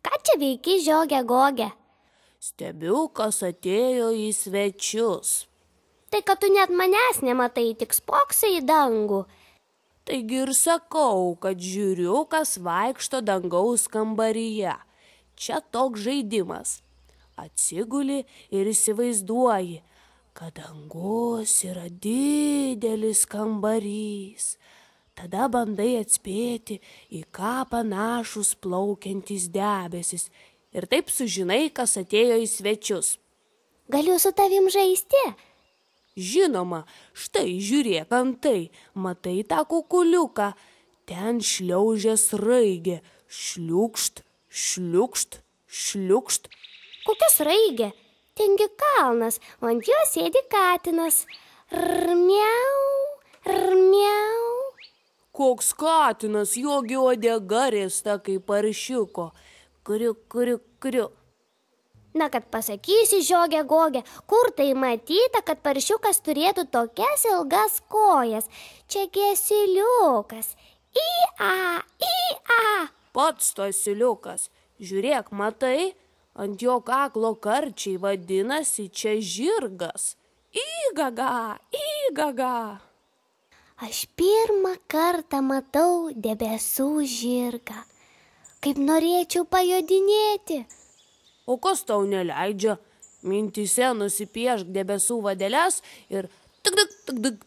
Ką čia veiki, žiogė Gogė? Stebiu, kas atėjo į svečius. Tai kad tu net manęs nematai, tik spoksai į dangų. Taigi ir sakau, kad žiūriu, kas vaikšto dangaus kambaryje. Čia toks žaidimas. Atsiguli ir įsivaizduoji, kad dangus yra didelis kambarys. Tada bandai atspėti, į ką panašus plaukiantys debesis. Ir taip sužinai, kas atėjo į svečius. Galiu su tavim žaisti? Žinoma, štai žiūrėk antai, matai tą kukuliuką. Ten šliaužia sraigė. Šliukšt, šliukšt, šliukšt. Kokia sraigė? Tengi kalnas, o ant jo sėdi katinas. Rmiau, rmiau. Koks katinas, jogi uodega riesta kaip paršiuko. Kriu, kriu, kriu. Na, kad pasakysi, žiogė Gogė, kur tai matyta, kad paršiukas turėtų tokias ilgas kojas. Čia asiliukas. Į-a, į-a. Pats to asiliukas. Žiūrėk, matai, ant jo kaklo karčiai vadinasi čia žirgas. Įgaga, įgaga. Aš pirmą kartą matau debesų žirgą. Kaip norėčiau pajodinėti. O kas tau neleidžia? Mintyse nusipiešk debesų vadeles ir tik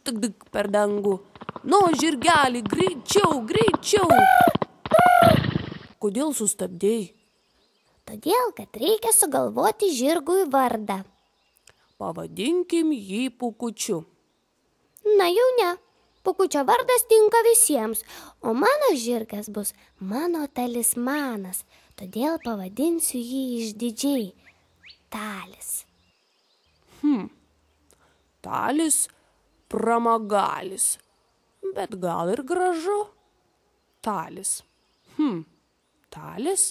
tik per dangų. Nu, žirgelį, greičiau, greičiau. Kodėl sustabdėjai? Todėl, kad reikia sugalvoti žirgui vardą. Pavadinkim jį Pūkučiu. Na jau ne. Pūkučio vardas tinka visiems, o mano žirgas bus mano talismanas. Todėl pavadinsiu jį išdidžiai Talis. Talis, pramagalis. Bet gal ir gražu. Talis. Talis?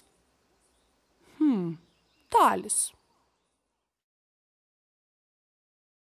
Talis.